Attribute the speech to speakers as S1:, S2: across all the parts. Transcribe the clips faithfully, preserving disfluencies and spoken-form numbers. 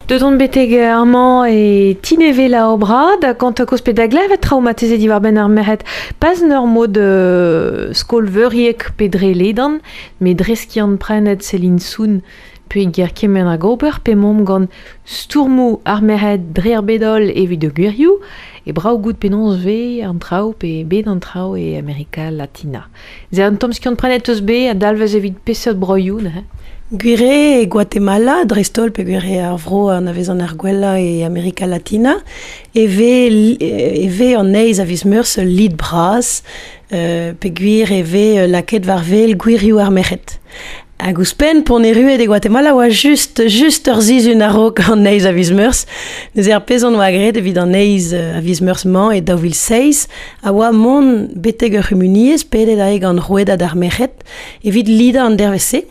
S1: Deut on betek amañ e tineve la obra, da gant koz pe da glevet traumatizet diwar ben ar merc'hed. Pas en ur mod euh, skol veuriek pe dre ledan, met dre skiant prenet Céline Soun pe ger kement hag ober, pe momp gant stourmoù ar merc'hed dre ar bedol evit de gwirioù, e brav gout penaos ve an traoù pe bet an traoù e Amerika Latina. Ze an tamm skiant prenet eus be a dalvez evit peseurt broioù, neuze.
S2: Gwire e Guatemala, dreist-holl pe gwire ar vro an avez an ar gwella e Amerika Latina, e ve, e ve an eiz a viz meurzh lid bras, euh, pe gwir e ve laket war vel gwirioù ar merc'hed. Hag ouzhpenn p'on erruet e Guatemala oa just, just ur sizhun a-raok an eiz a viz meurzh. Neuze ar pezh on oa graet evit an eiz a viz meurzh-mañ e daou vil seizh, a oa mont betek ur c'humuniezh pedet ae gant rouedad ar merc'hed evit lidañ an dervezh-se.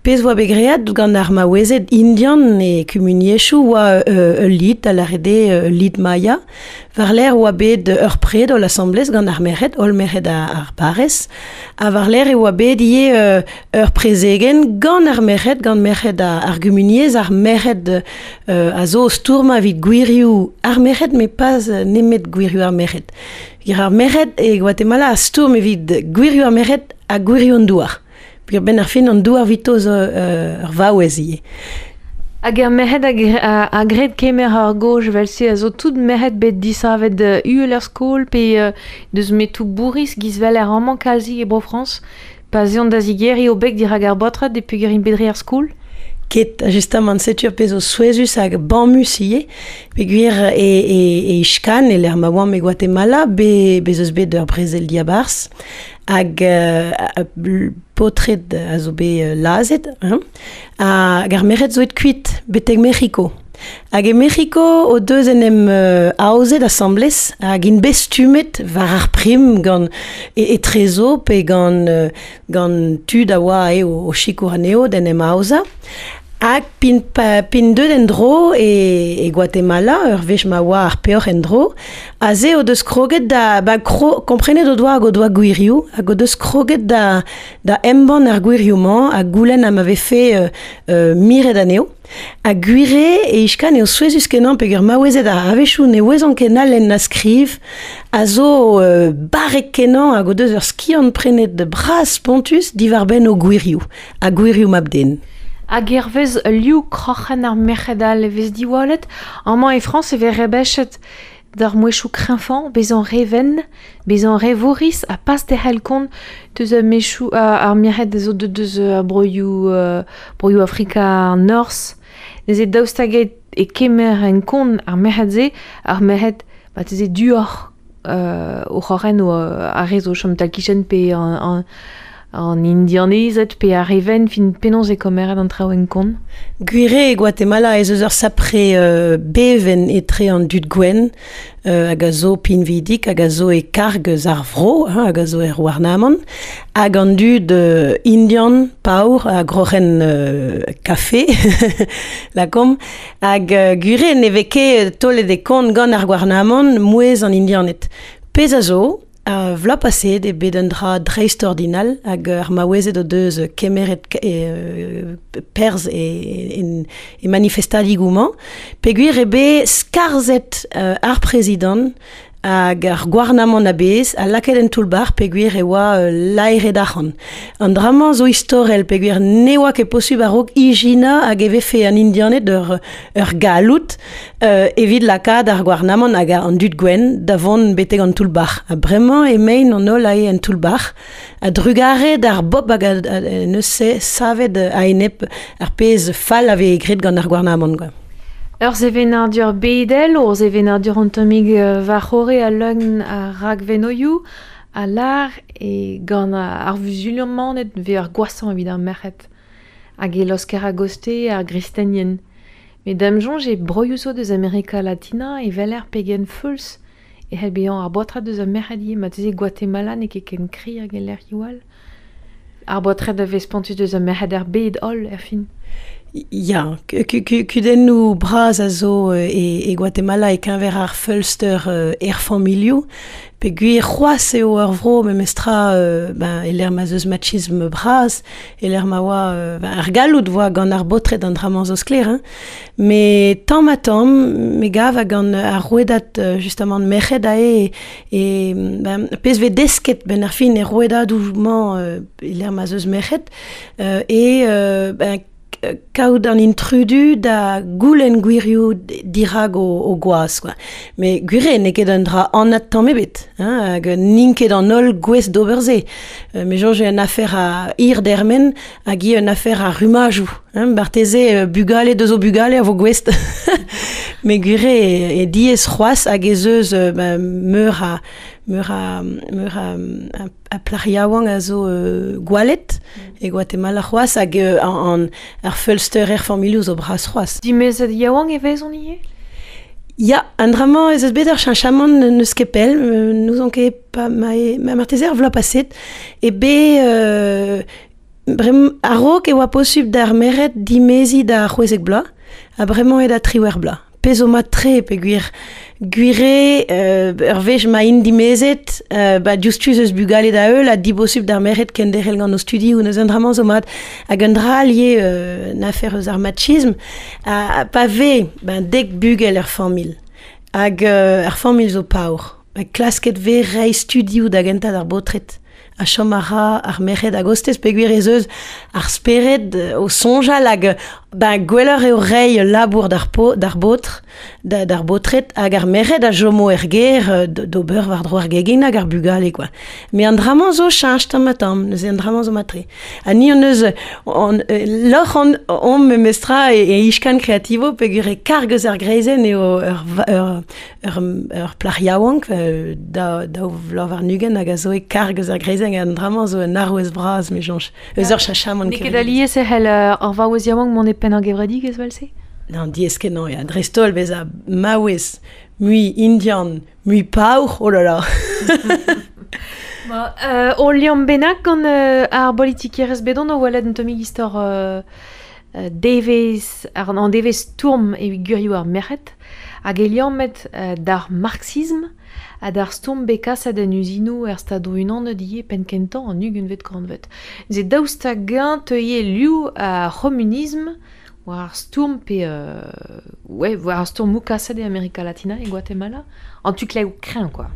S2: Pezh oa bet graet gant ar maouezed indian e kumuniezhioù oa euh, ul lid, a lâret eo ul lid maya. War-lerc'h oa bet ur pred holl asambles gant ar merc'hed, holl merc'hed ar barrez. Ha war-lerc'h e oa bet ivez euh, ur prezegenn gant ar merc'hed, gant merc'hed ar gumuniezh, ar merc'hed euh, a zo stourmañ evit gwirioù ar merc'hed, met pas nemet gwirioù ar merc'hed. Ar merc'hed e Guatemala a stourm evit gwirioù ar merc'hed ha gwirioù an douar. Peogwir benn ar fin an douar vito zo euh, ur vaouez ivez.
S1: Hag ar merc'hed a, a, a gred kemer ar goj vel-se a zo tout merc'hed bet disavet uhel er skol pe euh, deus metoù bourriz giz vel ar amañ kalzi e Bro-Frañs pa zeont da zigeriñ o beg dirak ar baotred e peogwir int bet dre ar skol.
S2: Ket, justement, setu ar pezh zo souezhus hag bammus ivez, peogwir e, e, e Ixcán, e lec'h ma oamp e Guatemala, be, bez eus bet ur brezel diabarzh, hag euh, paotred a zo bet lazhet, hein, hag ar merc'hed zo et kuit, betek Mec'hiko. Hag e Mec'hiko o deus en em euh, aozet asambles hag int bet stummet war ar prim gant e, etrezo pe gant, euh, gant tud a oa e o, o sikour anezho d'en em aozañ. Hag pin, pa, pin deut en-dro e, e Guatemala, ur wech ma oa ar peoc'h en-dro, aze o deus kroget da, ba, kro, komprenet o doa hag o doa gwirioù, hag o deus kroget da, da embann ar gwirioù-mañ ha goulenn ha ma vefe euh, euh, miret anezho. Ha gwire e Ixcán eo souezhus kenañ peogwir maouezed a a-wechoù ne ouezont ket na lenn na skriv, a zo euh, barrek kenañ hag o deus ur skiant prenet bras spontus diwar-benn o gwirioù, ha gwirioù mab-den.
S1: Hag hervez liv kroc'hen ar merc'hed all e vez diwallet, amañ e Frañs e vez rebechet d'ar mouezhioù kreñvañ, bezañ re wenn, bezañ re vourriz, ha pas derc'hel kont deus ar mouezhioù ar merc'hed zo deus deus ar broioù, euh, broioù Afrika an Norzh. Neuze daoust hag e kemer en kont ar merc'hed-se, ar merc'hed marteze duoc'h euh, o c'horren o ar re zo chom tal-kichen pe an, an an indianezed pe ar re wenn, fin penaos e komeret an traoù en kont.
S2: Gwire e Guatemala ez eus ur sapre euh, bevenn etre an dud gwenn euh, hag a zo pinvidik, hag a zo e karg eus ar vro, hein, hag a zo er gouarnamant, hag an dud euh, indian, paour, a groc'hen euh, kafe, lakomp, hag euh, gwire ne vez ket taolet e kont gant ar gouarnamant mouezh an indianed. Pezh a zo, a vloaz paseet eo bet un dra dreistordinal hag ar maouezed o deus kemeret e, perzh e, e, e manifestadigoù-mañ, peogwir eo bet skarzhet euh, ar prezidant hag ar gouarnamant a-bezh a lakaet en toull-bac'h peogwir e oa euh, laeret arc'hant. An dra-mañ zo istorel peogwir ne oa ket posubl a-raok ijinañ hag e vefe an indianed ur, ur galloud euh, evit lakaat ar gouarnamant hag an dud gwenn da vont betek an toull-bac'h. Ha bremañ emaint an holl ae en toull-bac'h a drugare d'ar bob hag a, a, a neus savet a-enep ar pezh fall a vez graet gant ar gouarnamant, quoi.
S1: Ur sevenadur bedel, ur sevenadur an tammig war c'horre a leun ar rakvenoioù, a lar e gant ar vuzulmaned vez ar gwashañ evit ar merc'hed. Hag e laosker a-goste ar gristenien. Met da'm soñj e broioù zo deus Amerika Latina e weler pegen feuls e c'hell bezañ ar baotred deus ar merc'hed ivez, marteze Guatemala n'eo ket ken kri hag e lec'hioù all. Ar baotred a vez spontus deus ar merc'hed er bed holl er fin.
S2: Ya, kudennoù bras a zo e, e Guatemala e keñver ar feulster euh, er familhoù, pe gwir c'hoazh eo ur vro memestra euh, ben, e lec'h ma 'z eus machism bras, e lec'h ma oa euh, ben, ar galloud voa gant ar baotred an dra-mañ zo sklaer, hein. Me tamm ha tamm, me gav hag gant ar rouedad justement merc'hed ae e, ben, pezh vez desket ben ar fin e rouedadoù-mañ euh, e lec'h ma 'z eus merc'hed, euh, e euh, ben, kaout an intrudu da goulenn gwirioù dirag o, o gwaz, quoi. Me gwir eo n'eo ket un dra anat tamm ebet, hein, hag n'int ket an holl gouest d'ober se. Euh, me soñj eo un afer a hir dermen hag ivez un afer a rummajoù, hein, marteze bugale deus o bugale a vo gouest. Me gwir eo e diaes c'hoazh hag ez eus ben, meur a meur a, meur a, a, a plac'h yaouank a zo euh, gwallet mm. e Guatemala c'hoazh hag euh, an, ar feulster er familhoù zo bras c'hoazh.
S1: Dimezet yaouank e vezont ivez?
S2: Ya, an dra-mañ ez eus bet ur cheñchamant n'eus ket pell, n'ouzon ket pa ma, ma marteze ar vloaz paset, e bet euh, brem, a-raok e oa posubl d'ar merc'hed dimeziñ da c'hwezek bloaz, ha bremañ eo da triwec'h bloaz. Pezh zo mat-tre peogwir gwir eo euh, ur wech ma int dimezet, euh, ba diouzhtu eus bugale da heul ha dibosubl d'ar merc'hed kenderc'hel gant o studioù neuze an dra-mañ zo mat. Hag un dra all ivez euh, un afer eus ar machism, ha, pa vez ben, dek bugel er familh, hag euh, ar familh zo paour, ba, klasket vez reiñ studioù da gentañ d'ar baotred. A chom a ra ar merc'hed hag ostez peogwir ez eus ar spered o soñjal hag ben, gwelloc'h eo reiñ labour d'ar po, d'ar baotr, da, d'ar baotred hag ar merc'hed a chomo er gêr d'ober war-dro ar gegin hag ar bugale, quoi. Me an dra-mañ zo cheñch tamm ha tamm, neuze an dra-mañ zo mat-tre. Ha ni hon eus, on, lorc'h on, omp memestra e, e Ixcan Creativo peogwir e karg eus ar greizenn eo ur, ur, ur, ur plac'h yaouank da, daou vloaz warn-ugent hag a zo e karg eus ar greizenn an dra-mañ zo un arouez bras, me soñj. Eus ur cheñchamant.
S1: N'eo ket alies e c'hell ar vaouez yaouank mont e penn ar gevredigezh vel-se?
S2: Non, diaes kenañ, ya. Dreist-holl bezañ maouez, mui indian, mui paour, oh là là.
S1: Bon, euh, ul liamm bennak gant euh, ar bolitikerezh bedon o welet un tammig istor euh, devezh, ar, an devezh stourm evit gwirioù ar merc'hed, hag e liammet euh, d'ar marxism ha d'ar stourm bet kaset en uzinoù er Stadoù-Unanet ivez penn kentañ an ugentvet kantved. Neuze daoust hag-eñ teuie liv ar c'homunism war ar stourm pe euh, ouais, war ar stourmoù kaset e Amerika Latina e Guatemala, an tu klev kreñv, quoi.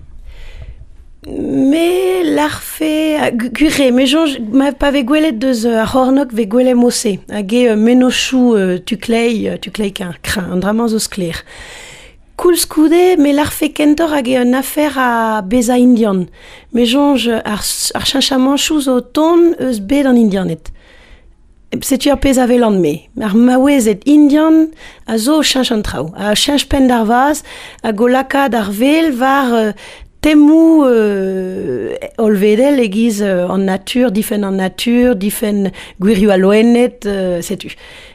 S2: Me larfe, gwir eo, me soñj, ma pa vez gwelet deus ar c'hornôg vez gwelet mod-se, hag eo mennozhioù euh, tu kleiz, tu kleiz kreñv, an dra-mañ zo sklaer. Koulskoude, me larfe kentoc'h hag eo un afer a bezañ indian. Me soñj ar, ar cheñchamanchoù zo tont eus bed an indianed. Setu ar pezh a welan me. Ar maouezed indian a zo cheñch an traoù, a cheñch penn d'ar vazh, hag o lakaat ar wel war euh, temoù euh, hollvedel e-giz euh, an natur, difenn an natur, difenn gwirioù al loened, euh, setu.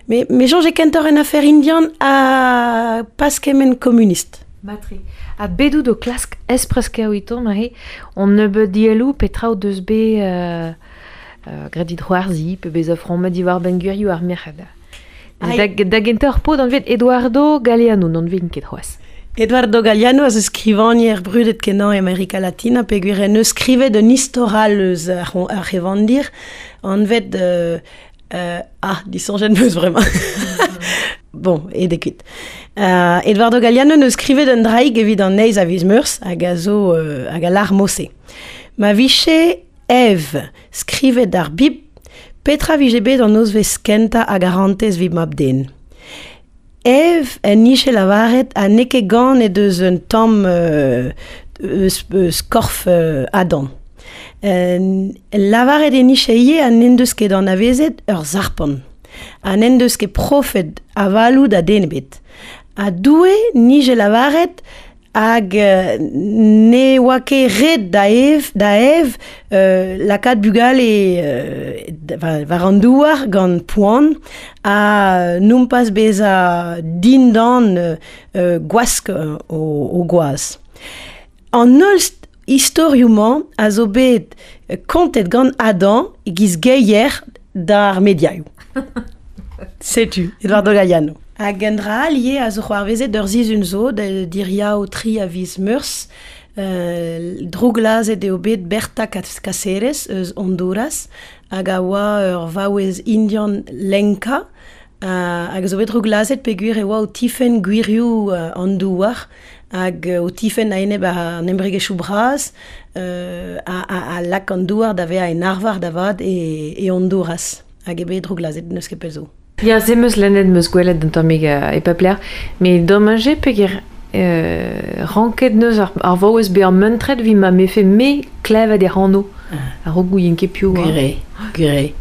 S2: Me, me soñj eo kentoc'h un afer indian ha pas kement komunist.
S1: Matre. Ha bet out o klask espresker oiton, mahe, on nebeud dielloù petra o deus bet euh, euh, graet dit c'hoarzhiñ pe bezañ frammet diwar-benn gwirioù ar merc'hed. Da, da gentañ ur paotr anvet Eduardo Galeano, n'anvein ket c'hoazh.
S2: Eduardo Galeano a zo skrivagner brudet kenañ e Amerika Latina peogwir en deus skrivet un istor all eus ar, ar c'hevandir anvet euh, euh, ah, disoñjet 'm eus bremañ. Bon, aet eo kuit. Euh, Eduardo Galeano neus skrivet un draig evit an eizh a viz Meurzh hag a zo euh, hag a lar mod-se. Ma vije Ève skrivet ar Bibl, petra vije bet an nozvezh kentañ a garantez evit mab-den. Ève en nije lavaret ha n'eo ket ganet eus un tamm euh, eus, eus korf euh, Adam. Euh, lavaret en nije ivez ha n'en deus ket anavezet ur zarpant. Ha n'en deus ket profet avaloù da den ebet. Ha Doue nije lavaret hag euh, ne oa ket ret da Ève, da Ève euh, lakaat bugale euh, war an douar gant poan ha nompas bezañ dindan euh, gwask o, o gwaz. An holl istorioù-mañ a zo bet kontet gant Adam e-giz geier d'ar mediaioù. Setu, Eduardo Galeano. Hag un dra all ivez a zo c'hoarvezet ur sizhun zo, da diriaou tri a viz Meurzh, euh, drouglazet eo bet Berta Cáceres eus Honduras, hag a oa ur vaouez indian lenka, uh, hag a zo bet drouglazet peogwir e oa o tifenn gwirioù uh, an douar, hag uh, o tifenn a-enep an embregerezhioù bras, uh, a, a, a lak an douar da vezañ en arvar da vat e, e Honduras, hag eo bet drouglazet n'eus ket pell zo.
S1: Ya, se 'meus lennet, 'meus gwelet un tammig uh, e pep lec'h, met domaj eo peogwir euh, ranket neus ar, ar vaouez bezañ muntret evit ma 'mefe me klevet e anv. A-raok gouien ket piv oa.
S2: Gwir eo, gwir eo.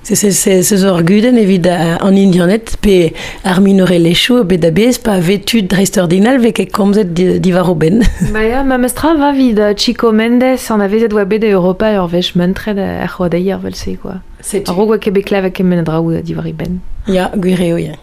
S2: Se se se se zo ur gudenn evit an Indianed pe ar minorelezhioù bet a-bezh pa vez tud dreistordinal vez ket komzet diwar o benn.
S1: Ba ya, memes tra va evit Chico Mendes anavezet oa bet e Europa ur wech muntret er c'hoadeier 'vel-se quoi.
S2: Setu.
S1: A-raok oa ket bet klevet kement a draoù diwar e benn.
S2: Ya, gwir eo, ya.